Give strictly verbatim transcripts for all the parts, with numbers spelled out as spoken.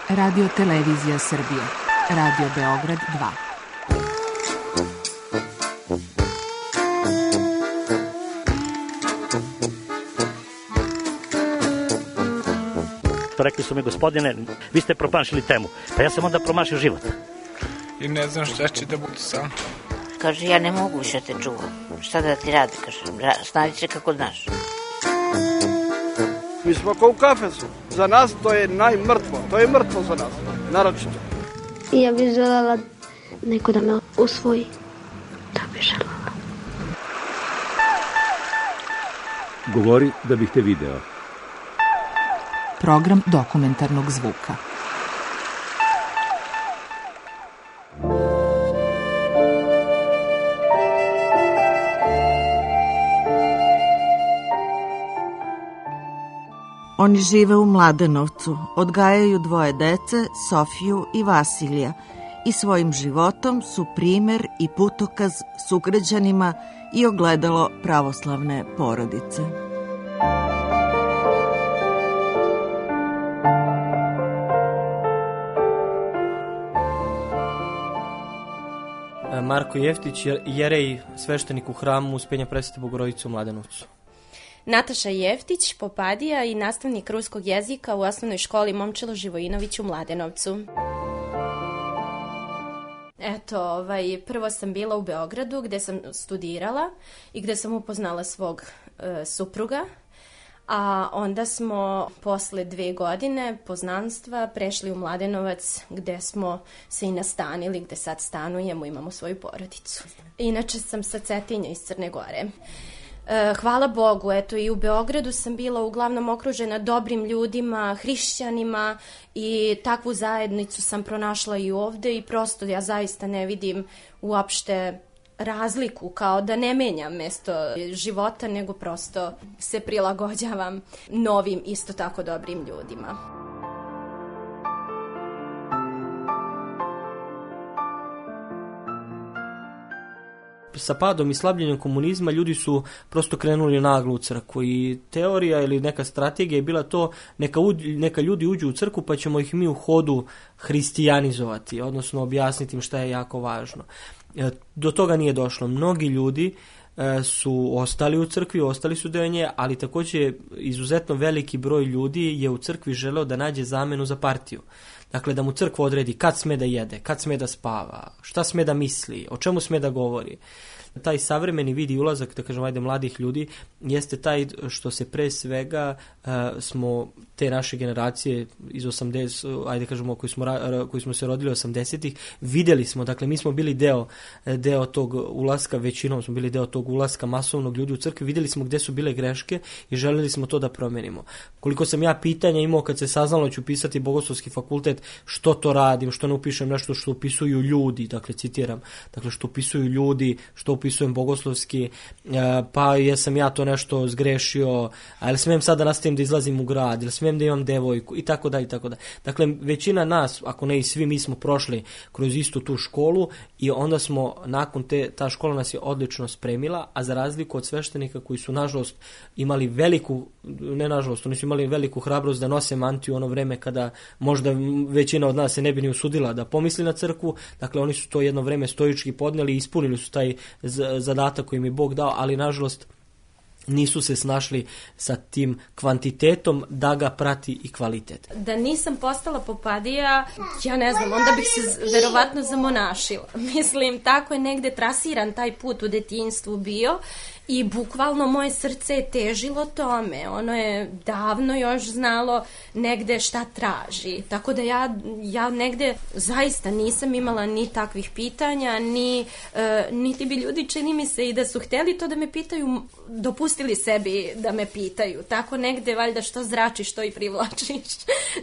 Radio Televizija Srbije. Radio Beograd dva. Rekli su mi, gospodine, vi ste promašili temu. Pa ja sam onda promašio život. I ne znam šta će da bude sam. Kaže, ja ne mogu više te čuvam. Šta da ti radi, kaže, snađi se kako znaš. Mi smo kao u kafesu. Za nas to je najmrtvo. To je mrtvo za nas, naročito. Ja bih želela neko da me usvoji. Da bih želela. Govori da bih te video. Program dokumentarnog zvuka. Oni žive u Mladenovcu, odgajaju dvoje dece, Sofiju i Vasilija, i svojim životom su primer i putokaz sugrađanima i ogledalo pravoslavne porodice. Marko Jeftić, jerej, sveštenik u hramu Uspenja Presvete Bogorodice u Mladenovcu. Nataša Jeftić, popadija i nastavnik ruskog jezika u osnovnoj školi Momčilo Živojinović u Mladenovcu. Eto, ovaj, prvo sam bila u Beogradu gde sam studirala i gde sam upoznala svog e, supruga, a onda smo posle dve godine poznanstva prešli u Mladenovac gde smo se i nastanili, gde sad stanujemo, imamo svoju porodicu. Inače sam sa Cetinja iz Crne Gore. Hvala Bogu, eto i u Beogradu sam bila uglavnom okružena dobrim ljudima, hrišćanima i takvu zajednicu sam pronašla i ovde i prosto ja zaista ne vidim uopšte razliku, kao da ne menjam mesto života, nego prosto se prilagođavam novim, isto tako dobrim ljudima. Sa padom i slabljenjem komunizma ljudi su prosto krenuli naglo u crkvu i teorija ili neka strategija je bila to neka, neka ljudi uđu u crkvu pa ćemo ih mi u hodu hristijanizovati, odnosno objasniti im šta je jako važno. Do toga nije došlo. Mnogi ljudi su ostali u crkvi, ostali su deo nje, ali također izuzetno veliki broj ljudi je u crkvi želeo da nađe zamenu za partiju. Dakle, da mu crkva odredi kad sme da jede, kad sme da spava, šta sme da misli, o čemu sme da govori. Taj savremeni vid i ulazak, da kažem, ajde, mladih ljudi, jeste taj što se pre svega uh, smo te naše generacije iz osamdeset, ajde kažemo, koji smo, koji smo se rodili osamdesetih, videli smo, dakle, mi smo bili deo, deo tog ulaska, većinom smo bili deo tog ulaska masovnog ljudi u crkvi, videli smo gde su bile greške i želeli smo to da promenimo. Koliko sam ja pitanja imao kad se saznalo ću pisati Bogoslovski fakultet, što to radim, što ne upišem nešto što upisuju ljudi, dakle, citiram, dakle, što upisuju ljudi, što upisujem bogoslovski, pa jesam ja to nešto zgrešio, ali smijem sad da nastavim da izlazim u grad, ili smijem da imam devojku, i tako da, i tako da. Dakle, većina nas, ako ne i svi, mi smo prošli kroz istu tu školu i onda smo, nakon te, ta škola nas je odlično spremila, a za razliku od sveštenika koji su, nažalost, imali veliku, ne nažalost, oni su imali veliku hrabrost da nose mantiju ono vreme kada možda većina od nas se ne bi ni usudila da pomisli na crkvu, dakle, oni su to jedno vreme stoički podneli i ispunili su taj zadatak koji im je Bog dao, ali nažalost nisu se snašli sa tim kvantitetom da ga prati i kvalitet. Da nisam postala popadija, ja ne znam, onda bih se verovatno zamonašila. Mislim, tako je negde trasiran taj put u detinjstvu bio i bukvalno moje srce je težilo tome. Ono je davno još znalo negde šta traži. Tako da ja, ja negde zaista nisam imala ni takvih pitanja, ni, e, niti bi ljudi, čini mi se, i da su hteli to da me pitaju, dopustili sebi da me pitaju. Tako negde, valjda, što zračiš, što i privlačiš.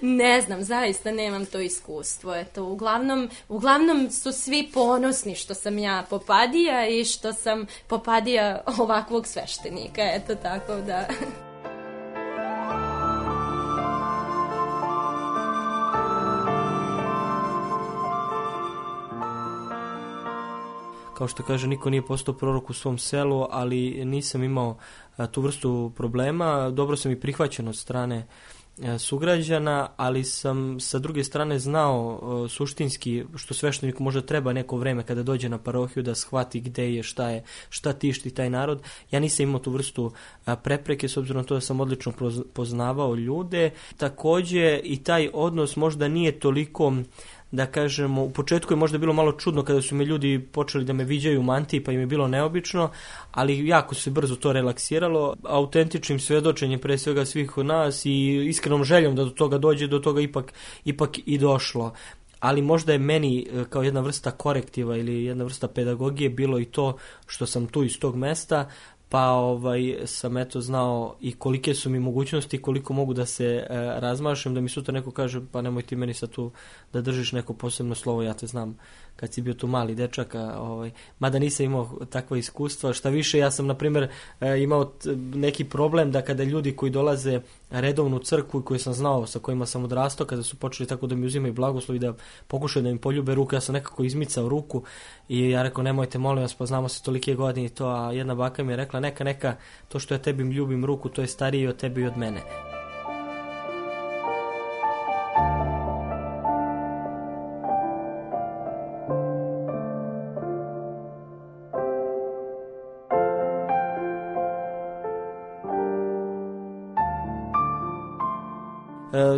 Ne znam, zaista nemam to iskustvo. Eto, uglavnom, uglavnom su svi ponosni što sam ja popadija i što sam popadija ovakvog sveštenika. Eto, tako da... Kao što kaže, niko nije postao prorok u svom selu, ali nisam imao a, tu vrstu problema. Dobro sam i prihvaćen od strane sugrađana, ali sam sa druge strane znao uh, suštinski što svešteniku možda treba neko vreme kada dođe na parohiju da shvati gde je, šta je, šta tišti taj narod. Ja nisam imao tu vrstu uh, prepreke s obzirom na to da sam odlično poznavao ljude. Takođe i taj odnos možda nije toliko, da kažemo, u početku je možda bilo malo čudno kada su mi ljudi počeli da me viđaju u mantiji, pa im je bilo neobično, ali jako se brzo to relaksiralo, autentičnim svedočenjem pre svega svih od nas i iskrenom željom da do toga dođe, do toga ipak, ipak i došlo. Ali možda je meni kao jedna vrsta korektiva ili jedna vrsta pedagogije bilo i to što sam tu iz tog mesta, pa ovaj, sam eto znao i kolike su mi mogućnosti, koliko mogu da se e, razmašem, da mi sutra neko kaže pa nemoj ti meni sad tu da držiš neko posebno slovo, ja te znam kad si bio tu mali dečak, a, ovaj, mada nisam imao takva iskustva. Šta više, ja sam na primjer e, imao t, neki problem da kada ljudi koji dolaze redovnu crkvu i koje sam znao, sa kojima sam odrastao, kada su počeli tako da mi uzimaju blagoslov i da pokušaju da mi poljube ruku, ja sam nekako izmicao ruku i ja rekao nemojte molim vas, pa znamo se tolike godine i to, a jedna baka mi je rekla neka, neka, to što ja tebi ljubim ruku, to je starije od tebi i od mene.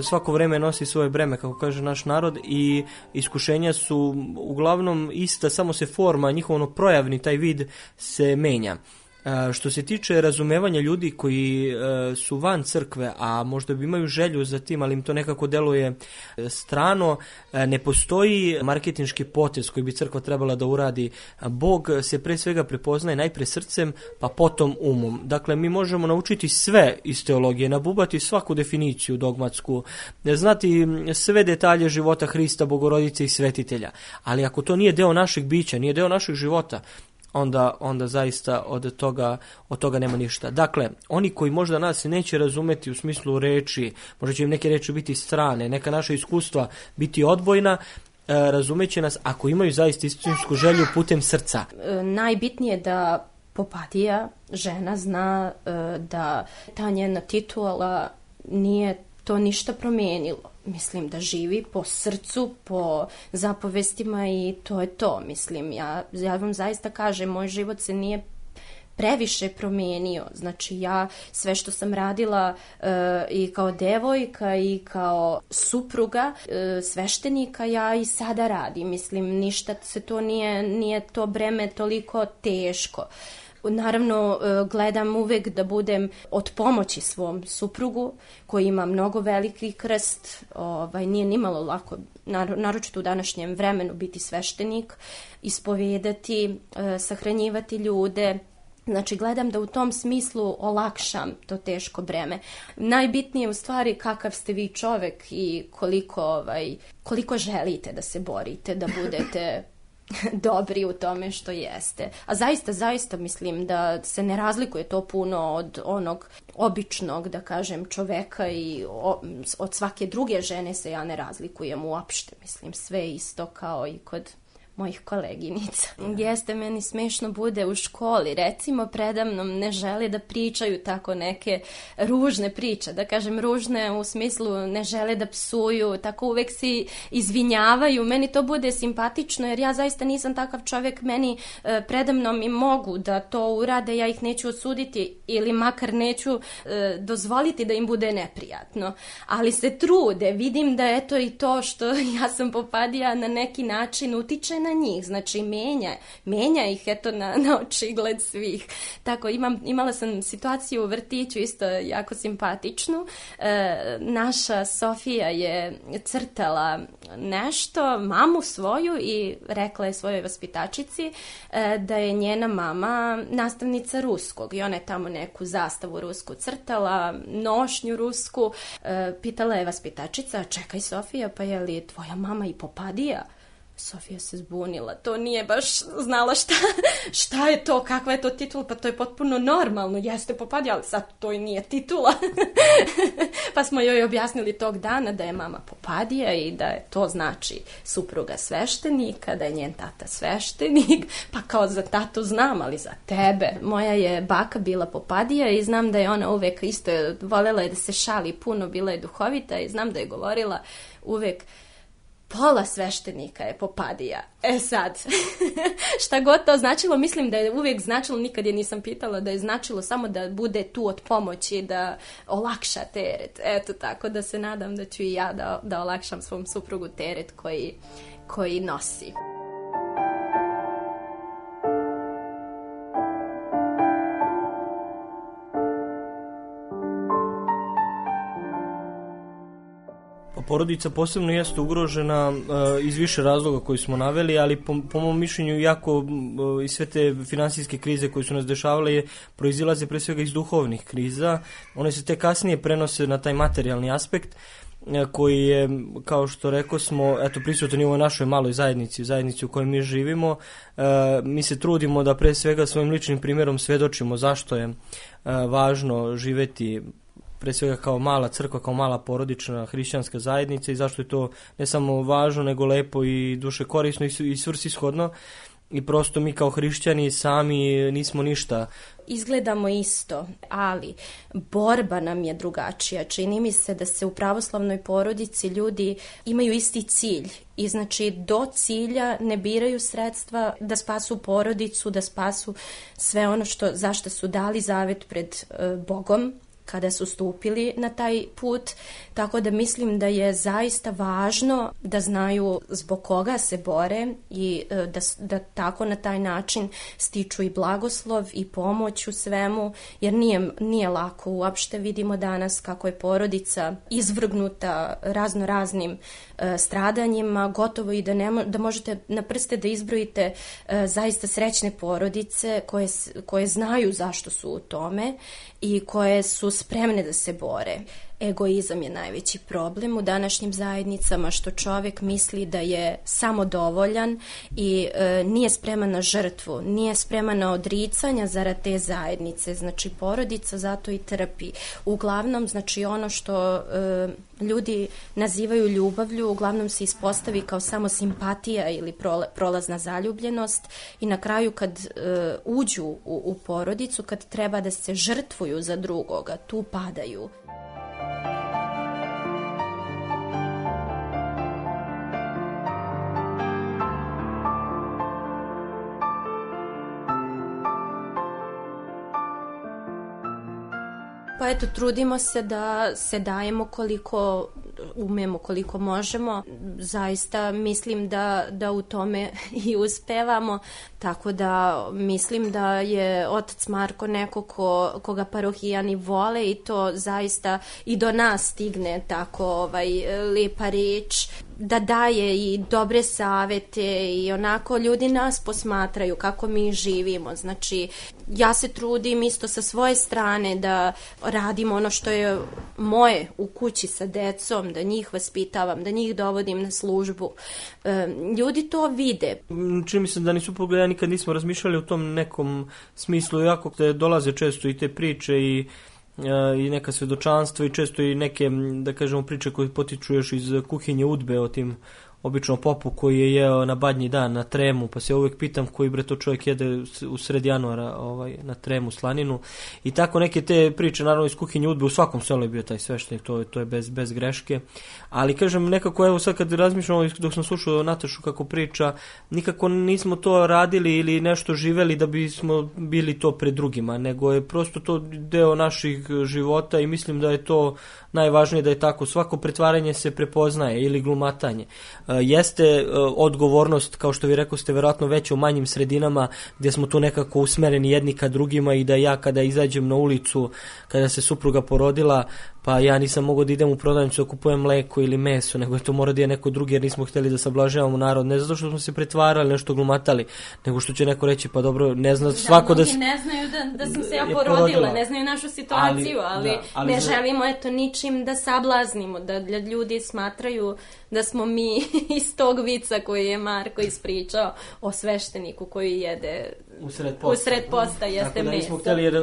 Svako vreme nosi svoje breme, kako kaže naš narod, i iskušenja su uglavnom ista, samo se forma, njihov projavni taj vid se menja. Što se tiče razumevanja ljudi koji su van crkve, a možda bi imaju želju za tim, ali im to nekako deluje strano, ne postoji marketinški potez koji bi crkva trebala da uradi. Bog se pre svega prepoznaje najpre srcem, pa potom umom. Dakle, mi možemo naučiti sve iz teologije, nabubati svaku definiciju dogmatsku, znati sve detalje života Hrista, Bogorodice i svetitelja. Ali ako to nije deo našeg bića, nije deo našeg života, Onda, onda zaista od toga, od toga nema ništa. Dakle, oni koji možda nas neće razumeti u smislu reči, možda će im neke reči biti strane, neka naša iskustva biti odbojna, razumeće nas ako imaju zaista istinsku želju putem srca. Najbitnije je da Popadija, žena, zna da ta njena titula nije to ništa promijenilo. Mislim da živi po srcu, po zapovestima i to je to. Mislim, ja, ja vam zaista kažem, moj život se nije previše promijenio. Znači ja sve što sam radila e, i kao devojka i kao supruga e, sveštenika, ja i sada radim. Mislim, ništa se to nije, nije to breme toliko teško. Naravno, gledam uvek da budem od pomoći svom suprugu koji ima mnogo veliki krst, ovaj, nije nimalo lako, naročito u današnjem vremenu, biti sveštenik, ispovedati, sahranjivati ljude. Znači, gledam da u tom smislu olakšam to teško breme. Najbitnije je u stvari kakav ste vi čovek i koliko, ovaj, koliko želite da se borite, da budete dobri u tome što jeste. A zaista, zaista mislim da se ne razlikuje to puno od onog običnog, da kažem, čoveka i o, od svake druge žene se ja ne razlikujem uopšte. Mislim, sve isto kao i kod mojih koleginica. Jeste, meni smešno bude u školi, recimo predamnom ne žele da pričaju tako neke ružne priče, da kažem ružne u smislu ne žele da psuju, tako uvek si izvinjavaju, meni to bude simpatično jer ja zaista nisam takav čovjek, meni e, predamnom i mogu da to urade, ja ih neću osuditi ili makar neću e, dozvoliti da im bude neprijatno, ali se trude, vidim da eto i to što ja sam Popadija na neki način utiče na njih, znači menja, menja ih eto na, na očigled svih. Tako, imam, imala sam situaciju u vrtiću isto jako simpatičnu. E, naša Sofija je crtala nešto, mamu svoju i rekla je svojoj vaspitačici e, da je njena mama nastavnica ruskog i ona je tamo neku zastavu rusku crtala, nošnju rusku. E, pitala je vaspitačica, čekaj Sofija, pa je li tvoja mama i Popadija? Sofija se zbunila, to nije baš znala šta, šta je to, kakva je to titula, pa to je potpuno normalno, jeste Popadija, ali sad to i nije titula. Pa smo joj objasnili tog dana da je mama Popadija i da je to znači supruga sveštenika, da je njen tata sveštenik, pa kao za tatu znam, ali za tebe. Moja je baka bila Popadija i znam da je ona uvek isto voljela je da se šali puno, bila je duhovita i znam da je govorila uvek pola sveštenika je Popadija. E sad, šta god to značilo, mislim da je uvijek značilo, nikad je nisam pitala, da je značilo samo da bude tu od pomoći, da olakša teret. Eto, tako da se nadam da ću i ja da, da olakšam svom suprugu teret koji, koji nosi. Porodica posebno jeste ugrožena uh, iz više razloga koji smo naveli, ali po, po mom mišljenju jako uh, i sve te finansijske krize koje su nas dešavale je, proizilaze pre svega iz duhovnih kriza. One se te kasnije prenose na taj materijalni aspekt uh, koji je, kao što rekao smo, eto, prisutan i u ovoj našoj maloj zajednici, zajednici u kojoj mi živimo. Uh, mi se trudimo da pre svega svojim ličnim primjerom svedočimo zašto je uh, važno živeti pre svega kao mala crkva, kao mala porodična hrišćanska zajednica i zašto je to ne samo važno, nego lepo i duše korisno i svrsishodno. I prosto mi kao hrišćani sami nismo ništa. Izgledamo isto, ali borba nam je drugačija. Čini mi se da se u pravoslavnoj porodici ljudi imaju isti cilj i znači do cilja ne biraju sredstva da spasu porodicu, da spasu sve ono što, zašto su dali zavet pred uh, Bogom kada su stupili na taj put, tako da mislim da je zaista važno da znaju zbog koga se bore i da, da tako na taj način stiču i blagoslov i pomoć u svemu, jer nije, nije lako uopšte. Vidimo danas kako je porodica izvrgnuta razno raznim uh, stradanjima, gotovo i da, ne mo- da možete na prste da izbrojite uh, zaista srećne porodice koje, koje znaju zašto su u tome i koje su spremne da se bore. Egoizam je najveći problem u današnjim zajednicama, što čovjek misli da je samodovoljan i e, nije spreman na žrtvu, nije spreman na odricanja zarad te zajednice. Znači porodica zato i trpi. Uglavnom, znači ono što e, ljudi nazivaju ljubavlju, uglavnom se ispostavi kao samo simpatija ili prolazna zaljubljenost i na kraju kad e, uđu u, u porodicu, kad treba da se žrtvuju za drugoga, tu padaju. Pa eto, trudimo se da se dajemo koliko umemo, koliko možemo. Zaista mislim da, da u tome i uspevamo, tako da mislim da je otac Marko neko ko, koga parohijani vole i to zaista i do nas stigne tako ovaj, lepa reč, da daje i dobre savete i onako ljudi nas posmatraju kako mi živimo. Znači, ja se trudim isto sa svoje strane da radim ono što je moje u kući sa decom, da njih vaspitavam, da njih dovodim na službu. E, ljudi to vide. Čini mi se da nisu pogledali, nikad nismo razmišljali u tom nekom smislu, jako te dolaze često i te priče i i neka svedočanstva i često i neke, da kažemo, priče koje potiču još iz kuhinje udbe o tim obično popu koji je jeo na badnji dan na tremu, pa se ja uvijek pitam koji bre to čovjek jede u sred januara ovaj, na tremu slaninu i tako neke te priče, naravno iz kuhinje udbe u svakom selu je bio taj sveštenik, to, to je bez, bez greške, ali kažem nekako evo sad kad razmišljamo dok sam slušao Natašu kako priča, nikako nismo to radili ili nešto živeli da bismo bili to pred drugima, nego je prosto to deo naših života i mislim da je to najvažnije da je tako, svako pretvaranje se prepoznaje ili glumatanje. Jeste odgovornost, kao što vi rekao ste, verovatno veće u manjim sredinama gdje smo tu nekako usmereni jedni ka drugima i da ja kada izađem na ulicu, kada se supruga porodila, pa ja nisam mogao da idem u prodavnicu da kupujem mleko ili meso, nego je to mora da je neko drugi, jer nismo htjeli da sablažavamo narod, ne zato što smo se pretvarali, nešto glumatali, nego što će neko reći, pa dobro, ne zna svako da... Da, mnogi ne znaju da, da sam se ja porodila, porodila, ne znaju našu situaciju, ali, ali, da, ali ne za... želimo eto ničim da sablaznimo, da ljudi smatraju da smo mi iz tog vica koji je Marko ispričao o svešteniku koji jede usred posta, usred posta jeste meso. Tako da nismo htjeli, jer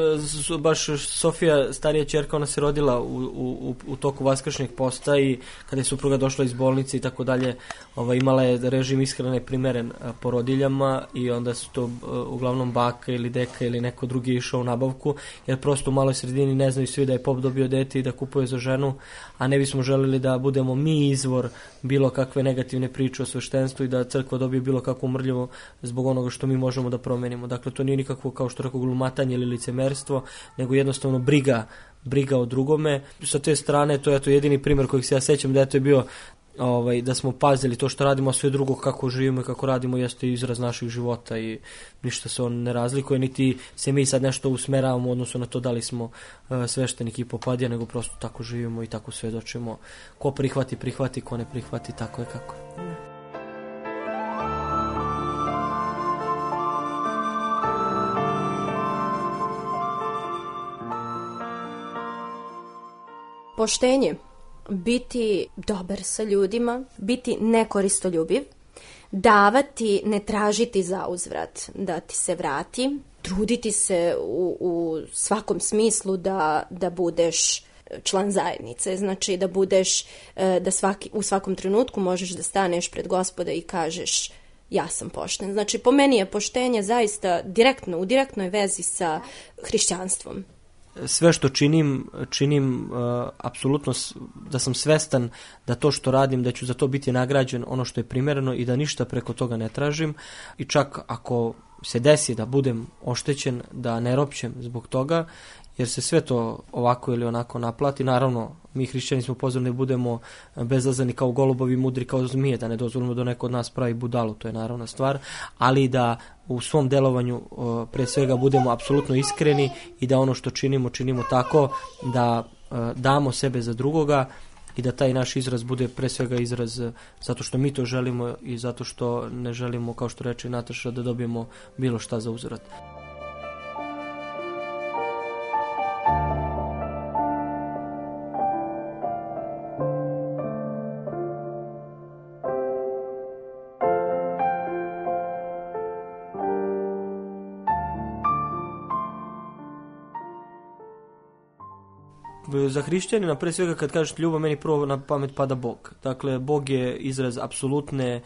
baš Sofija, starija ćerka, ona se rodila u, u, u toku vaskršnjeg posta i kada je supruga došla iz bolnice i tako dalje, ovaj, imala je režim ishrane primeren porodiljama i onda su to uglavnom baka ili deka ili neko drugi išao u nabavku, jer prosto u maloj sredini ne znaju svi da je pop dobio dete i da kupuje za ženu, a ne bismo želili da budemo mi izvor bilo kakve negativne priče o sveštenstvu i da crkva dobije bilo kakvu mrljivo zbog onoga što mi možemo da promenimo. Dakle, to nije nikakvo, kao što rekao, glumatanje ili licemerstvo, nego jednostavno briga, briga o drugome. Sa te strane, to je to jedini primjer kojeg se ja sećam da je to bio ovaj, da smo pazili to što radimo, a sve drugo kako živimo i kako radimo jeste izraz naših života i ništa se on ne razlikuje, niti se mi sad nešto usmeravamo u odnosu na to da li smo uh, sveštenik i popadija, nego prosto tako živimo i tako svedočimo. Ko prihvati, prihvati, ko ne prihvati, tako je kako je. Poštenje, biti dobar sa ljudima, biti nekoristoljubiv, davati, ne tražiti za uzvrat, da ti se vrati, truditi se u, u svakom smislu da, da budeš član zajednice, znači da budeš, da svaki, u svakom trenutku možeš da staneš pred Gospoda i kažeš ja sam pošten. Znači po meni je poštenje zaista direktno, u direktnoj vezi sa hrišćanstvom. Sve što činim, činim uh, apsolutno da sam svestan da to što radim, da ću za to biti nagrađen ono što je primjereno i da ništa preko toga ne tražim. I čak ako se desi da budem oštećen, da ne ropćem zbog toga, jer se sve to ovako ili onako naplati. Naravno, mi hrišćani smo pozvani da budemo bezazleni kao golubovi, mudri kao zmije, da ne dozvolimo da neko od nas pravi budalu, to je naravna stvar, ali da u svom delovanju pre svega budemo apsolutno iskreni i da ono što činimo, činimo tako da damo sebe za drugoga i da taj naš izraz bude pre svega izraz zato što mi to želimo i zato što ne želimo, kao što reče Nataša, da dobijemo bilo šta za uzvrat. Za hrišćanina, pre svega kad kažeš ljubav, meni prvo na pamet pada Bog. Dakle, Bog je izraz apsolutne,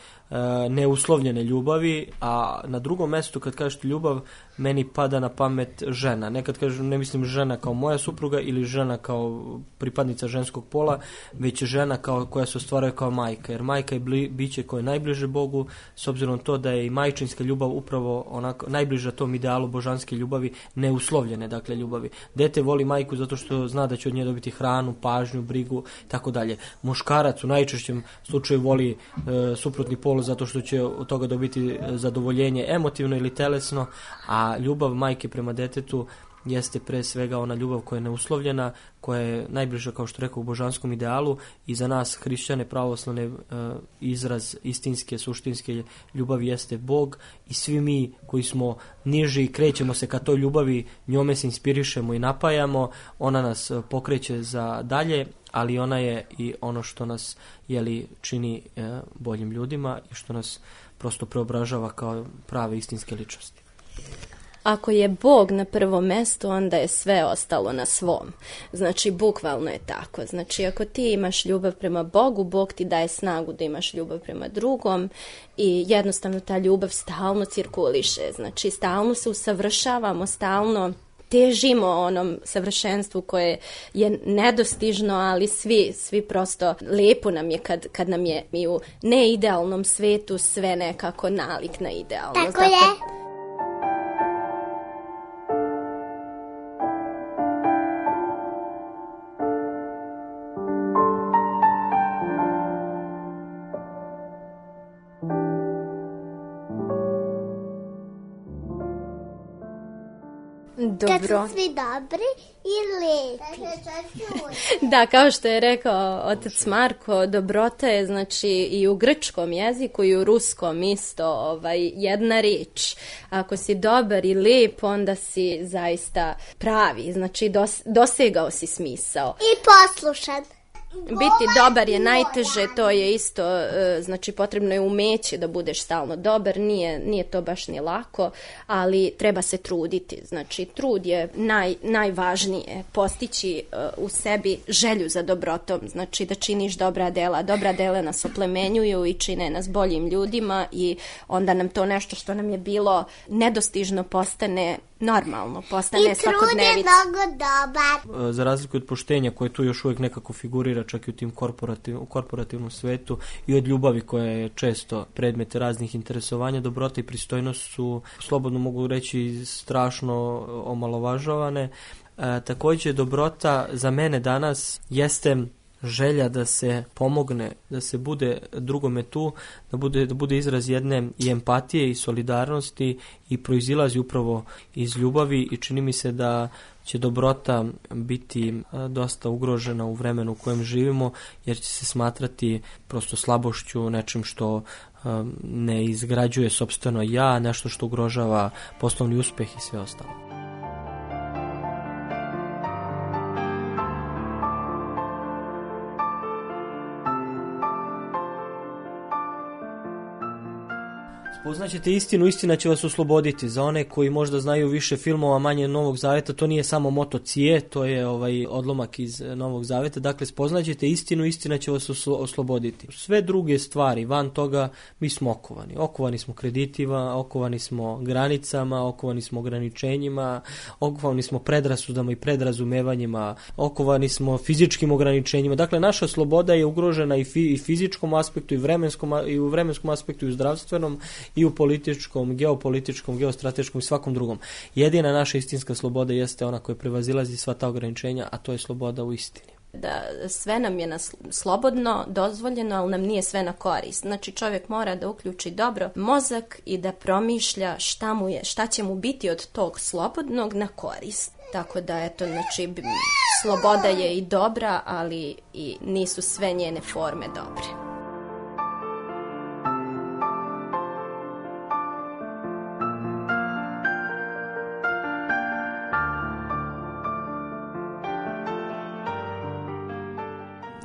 neuslovljene ljubavi, a na drugom mjestu kad kažeš ljubav, meni pada na pamet žena. Nekad kažem, ne mislim žena kao moja supruga ili žena kao pripadnica ženskog pola, već žena kao, koja se ostvaruje kao majka. Jer majka je bli, biće koje je najbliže Bogu, s obzirom to da je i majčinska ljubav upravo onako najbliža tom idealu božanske ljubavi, neuslovljene dakle ljubavi. Dete voli majku zato što zna da će od nje dobiti hranu, pažnju, brigu, tako dalje. Muškarac u najčešćem slučaju voli e, suprotni pol zato što će od toga dobiti zadovoljenje emotivno ili telesno, a ljubav majke prema detetu jeste pre svega ona ljubav koja je neuslovljena, koja je najbliža, kao što rekao, u božanskom idealu i za nas hrišćane pravoslavne e, izraz istinske, suštinske ljubavi jeste Bog i svi mi koji smo niži i krećemo se ka toj ljubavi, njome se inspirišemo i napajamo, ona nas pokreće za dalje, ali ona je i ono što nas jeli, čini e, boljim ljudima i što nas prosto preobražava kao prave istinske ličnosti. Ako je Bog na prvom mjestu, onda je sve ostalo na svom. Znači, bukvalno je tako. Znači, ako ti imaš ljubav prema Bogu, Bog ti daje snagu da imaš ljubav prema drugom i jednostavno ta ljubav stalno cirkuliše. Znači, stalno se usavršavamo, stalno težimo onom savršenstvu koje je nedostižno, ali svi, svi prosto lijepo nam je kad, kad nam je i u neidealnom svetu sve nekako nalik na idealno. Tako Zato... je. Dobro. Kad su svi dobri i lepi. Da, kao što je rekao otac Marko, dobrota je znači i u grčkom jeziku i u ruskom isto ovaj, jedna riječ. Ako si dobar i lep, onda si zaista pravi, znači dos, dosegao si smisao. I poslušan. Biti dobar je najteže, to je isto, znači potrebno je umeće da budeš stalno dobar, nije, nije to baš ni lako, ali treba se truditi, znači trud je naj, najvažnije, postići u sebi želju za dobrotom, znači da činiš dobra dela, dobra dela nas oplemenjuju i čine nas boljim ljudima i onda nam to nešto što nam je bilo nedostižno postane normalno, postane svakodnevica. I trud je mnogo dobar. Za razliku od poštenja koje tu još uvijek nekako figurira čak i u tim korporativ, u korporativnom svetu i od ljubavi koja je često predmet raznih interesovanja, dobrota i pristojnost su, slobodno mogu reći, strašno omalovažavane. E, također dobrota za mene danas jeste želja da se pomogne, da se bude drugome tu, da bude, da bude izraz jedne i empatije i solidarnosti i proizilazi upravo iz ljubavi i čini mi se da će dobrota biti dosta ugrožena u vremenu u kojem živimo, jer će se smatrati prosto slabošću, nečim što um, ne izgrađuje sopstveno ja, nešto što ugrožava poslovni uspjeh i sve ostalo. Spoznaćete istinu, istina će vas osloboditi. Za one koji možda znaju više filmova, manje Novog Zaveta, to nije samo moto Cije, to je ovaj odlomak iz Novog Zaveta. Dakle, spoznaćete istinu, istina će vas oslo- osloboditi. Sve druge stvari, van toga, mi smo okovani. Okovani smo kreditima, okovani smo granicama, okovani smo ograničenjima, okovani smo predrasudama i predrazumevanjima, okovani smo fizičkim ograničenjima. Dakle, naša sloboda je ugrožena i, fi- i fizičkom aspektu, i, vremenskom, i u vremenskom aspektu, i u zdravstvenom, i u političkom, geopolitičkom, geostrateškom i svakom drugom. Jedina naša istinska sloboda jeste ona koja prevazilazi sva ta ograničenja, a to je sloboda u istini. Da sve nam je na slobodno, dozvoljeno, ali nam nije sve na korist. Znači čovjek mora da uključi dobro mozak i da promišlja šta mu je, šta će mu biti od tog slobodnog na korist. Tako da eto, znači sloboda je i dobra, ali i nisu sve njene forme dobre.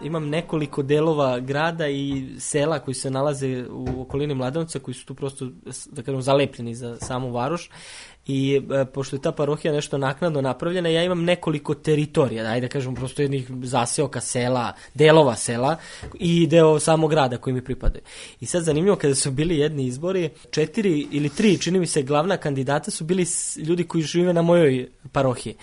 Imam nekoliko delova grada i sela koji se nalaze u okolini Mladenovca, koji su tu prosto, da kažem, zalepljeni za samu varoš. I e, pošto je ta parohija nešto naknadno napravljena, ja imam nekoliko teritorija, ajde da kažem, prosto jednih zaseoka sela, delova sela i deo samog grada koji mi pripadaju. I sad zanimljivo, kada su bili jedni izbori, četiri ili tri, čini mi se, glavna kandidata su bili ljudi koji žive na mojoj parohiji.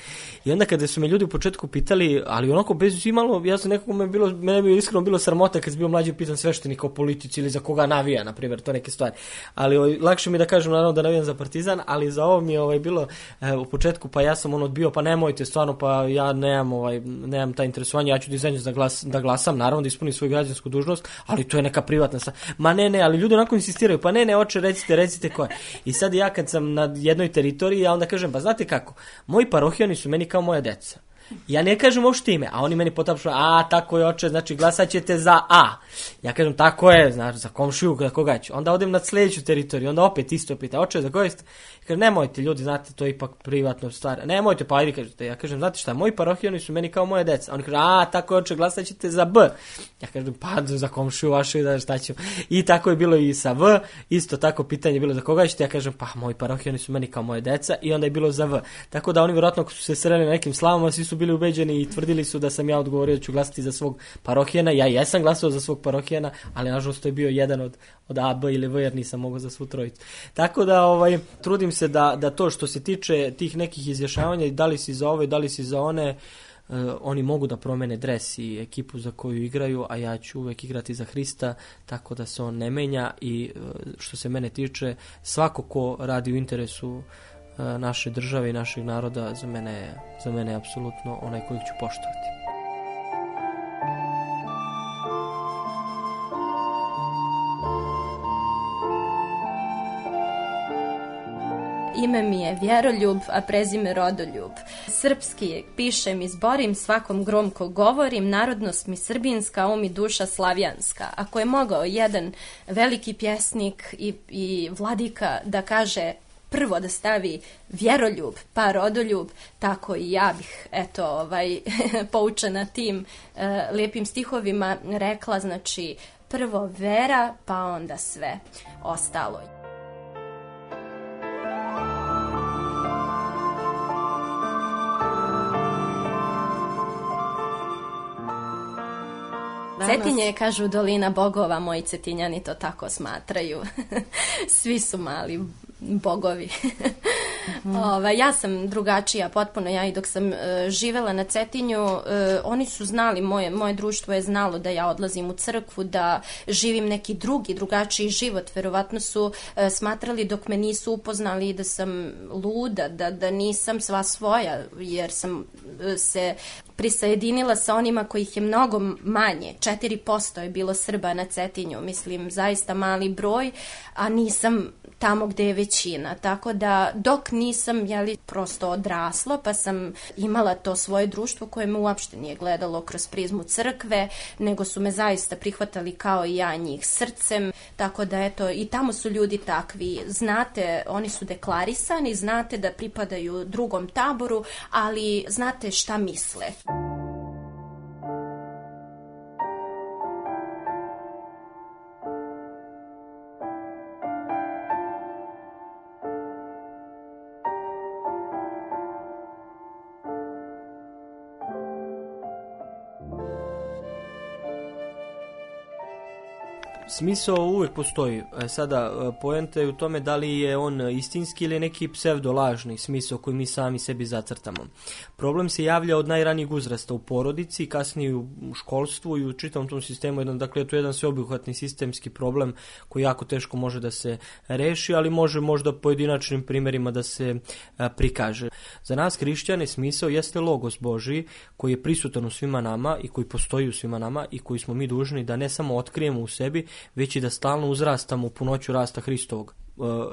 I onda kada su me ljudi u početku pitali, ali onako bez imalo, ja sam nekako me bilo, mene bi iskreno bilo sramota kad sam bio mlađi, pitan sveštenika o politici ili za koga navija, na primjer, to neke stvari. Ali o, lakše mi da kažem naravno da navijam za Partizan, ali za ovo mi je ovaj bilo e, u početku, pa ja sam on odbio, pa nemojte stvarno, pa ja nemam ovaj nemam taj interesovanje, ja ću dizajnu da glas da glasam, naravno da ispunim svoju građansku dužnost, ali to je neka privatna stvar. Ma ne, ne, ali ljudi onako insistiraju, pa ne, ne, oče, recite, recite ko je. I sad ja kad sam na jednoj teritoriji, ja onda kažem, pa znate kako, moji parohijani su meni kao moja deca. Ja ne kažem uopšte ime, a oni meni potapšu, a tako je oče, znači glasat ćete za A. Ja kažem, tako je, znači za komšiju, za koga ću. Onda odem na sljedeću teritoriju, onda opet isto pita, oče, za koga ste? Kaže, nemojte ljudi, znate, to je ipak privatno stvar. Nemojte, pa ajde, kažete. Ja kažem, znate šta, moji parohijani su meni kao moje deca. Oni kaže, a, tako je oče, glasat ćete za B. Ja kažem, pa za komšiju vašu, da šta ću. I tako je bilo i sa V, isto tako pitanje je bilo za koga ćete. Ja kažem, pa moji parohijani su meni kao moje deca, i onda je bilo za V. Tako da oni vjerojatno ako su se sreli na nekim slavama, svi su bili ubeđeni i tvrdili su da sam ja odgovorio da ću glasati za svog parohijana. Ja jesam glasao za svog parohijana, ali nažalost to je bio jedan od, od A, B ili V, jer nisam mogao za svu trojicu. Tako da ovaj, trudim se da, da to što se tiče tih nekih izjašnjavanja, da li si za ove, da li si za one, Uh, oni mogu da promene dres i ekipu za koju igraju, a ja ću uvek igrati za Hrista, tako da se on ne menja. I uh, što se mene tiče, svako ko radi u interesu uh, naše države i našeg naroda, za mene, za mene je apsolutno onaj kojeg ću poštovati. ime mi je Vjeroljub, a prezime Rodoljub. Srpski pišem i zborim, svakom gromko govorim, narodnost mi srbinska, um i duša slavijanska. Ako je mogao jedan veliki pjesnik i, i vladika da kaže prvo da stavi Vjeroljub, pa Rodoljub, tako i ja bih, eto, ovaj, poučena tim e, lijepim stihovima rekla, znači, prvo vera, pa onda sve ostalo. Cetinje, kažu, dolina bogova, moji Cetinjani to tako smatraju. Svi su mali bogovi. Mm. Ova, ja sam drugačija potpuno, ja i dok sam e, živela na Cetinju, e, oni su znali, moje, moje društvo je znalo da ja odlazim u crkvu, da živim neki drugi, drugačiji život. Verovatno su e, smatrali dok me nisu upoznali da sam luda, da, da nisam sva svoja, jer sam e, se prisajedinila sa onima kojih je mnogo manje. četiri posto je bilo Srba na Cetinju, mislim, zaista mali broj, a nisam tamo gde je većina. Tako da dok nisam, jeli, prosto odrasla, pa sam imala to svoje društvo koje me uopšte nije gledalo kroz prizmu crkve, nego su me zaista prihvatali kao i ja njih srcem. Tako da, eto, i tamo su ljudi takvi. Znate, oni su deklarisani, znate da pripadaju drugom taboru, ali znate šta misle. Smisao uvijek postoji. Sada, poenta je u tome da li je on istinski ili neki psevdolažni smisao koji mi sami sebi zacrtamo. Problem se javlja od najranijeg uzrasta u porodici, kasnije u školstvu i u čitavom tom sistemu. Jedan, dakle, to je jedan sveobuhvatni sistemski problem koji jako teško može da se reši, ali može možda pojedinačnim primjerima da se a, prikaže. Za nas hrišćane smisao jeste logos Božiji koji je prisutan u svima nama i koji postoji u svima nama i koji smo mi dužni da ne samo otkrijemo u sebi, već i da stalno uzrastamo u punoću rasta Hristovog.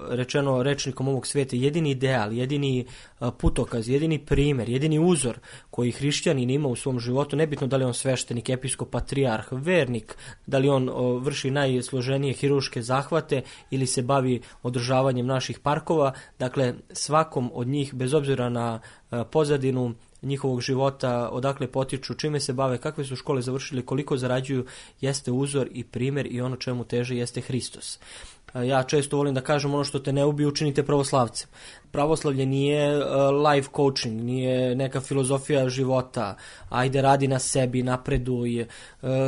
Rečeno rečnikom ovog svijeta, jedini ideal, jedini putokaz, jedini primjer, jedini uzor koji hrišćanin ima u svom životu, nebitno da li on sveštenik, episkop, patrijarh, vernik, da li on vrši najsloženije hirurške zahvate ili se bavi održavanjem naših parkova, dakle svakom od njih, bez obzira na pozadinu njihovog života, odakle potiču, čime se bave, kakve su škole završili, koliko zarađuju, jeste uzor i primjer i ono čemu teže jeste Hristos. Ja često volim da kažem ono što te ne ubije, učinite pravoslavcem. Pravoslavlje nije uh, life coaching, nije neka filozofija života, ajde radi na sebi, napreduj, uh,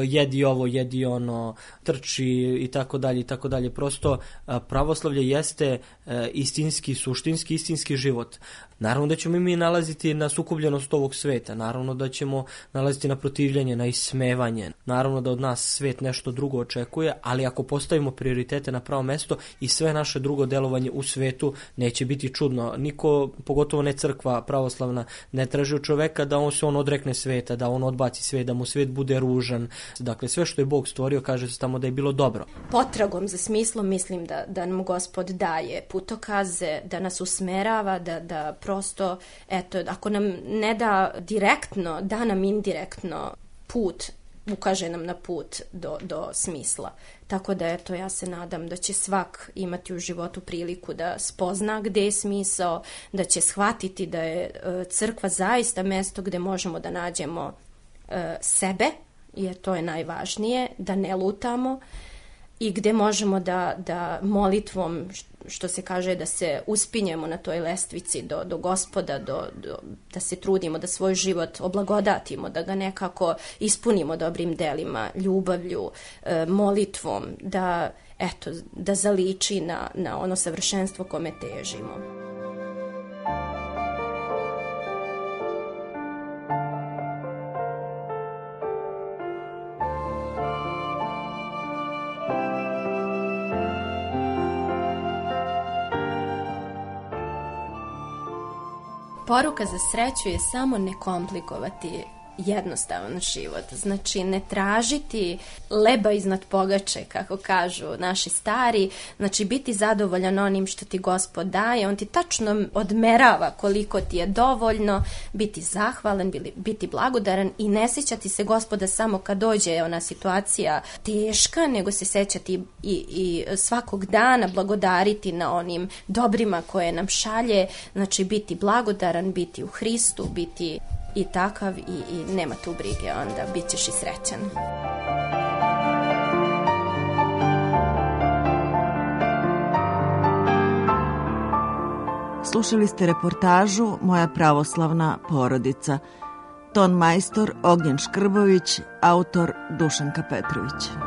jedi ovo, jedi ono, trči i tako dalje i tako dalje. Prosto uh, pravoslavlje jeste uh, istinski, suštinski, istinski život. Naravno da ćemo mi nalaziti na sukobljenost ovog sveta, naravno da ćemo nalaziti na protivljenje, na ismevanje, naravno da od nas svet nešto drugo očekuje, ali ako postavimo prioritete na pravo mesto i sve naše drugo delovanje u svetu neće biti čudno. Niko, pogotovo ne crkva pravoslavna, ne traži od čoveka da on se on odrekne sveta, da on odbaci svet, da mu svet bude ružan. Dakle, sve što je Bog stvorio, kaže se tamo da je bilo dobro. Potragom za smislom mislim da, da nam Gospod daje putokaze, da nas usmerava, da, da prosto, eto, ako nam ne da direktno, da nam indirektno put, ukaže nam na put do, do smisla. Tako da, eto, ja se nadam da će svak imati u životu priliku da spozna gde je smisao, da će shvatiti da je crkva zaista mesto gde možemo da nađemo e, sebe, jer to je najvažnije, da ne lutamo, i gde možemo da, da molitvom, što se kaže, da se uspinjemo na toj lestvici do, do Gospoda, do, do, da se trudimo da svoj život oblagodatimo, da ga nekako ispunimo dobrim delima, ljubavlju, e, molitvom, da, eto, da zaliči na, na ono savršenstvo kome težimo. Poruka za sreću je samo ne komplikovati jednostavan život. Znači, ne tražiti leba iznad pogače, kako kažu naši stari, znači biti zadovoljan onim što ti Gospod daje, on ti tačno odmerava koliko ti je dovoljno, biti zahvalan, biti blagodaran i ne sjećati se Gospoda samo kad dođe ona situacija teška, nego se sjećati i, i svakog dana blagodariti na onim dobrima koje nam šalje, znači biti blagodaran, biti u Hristu, biti i takav i, i nema tu brige, onda bit ćeš i srećan. Slušali ste reportažu Moja pravoslavna porodica. Ton majstor Ognjen Škrbović, autor Dušanka Petrović.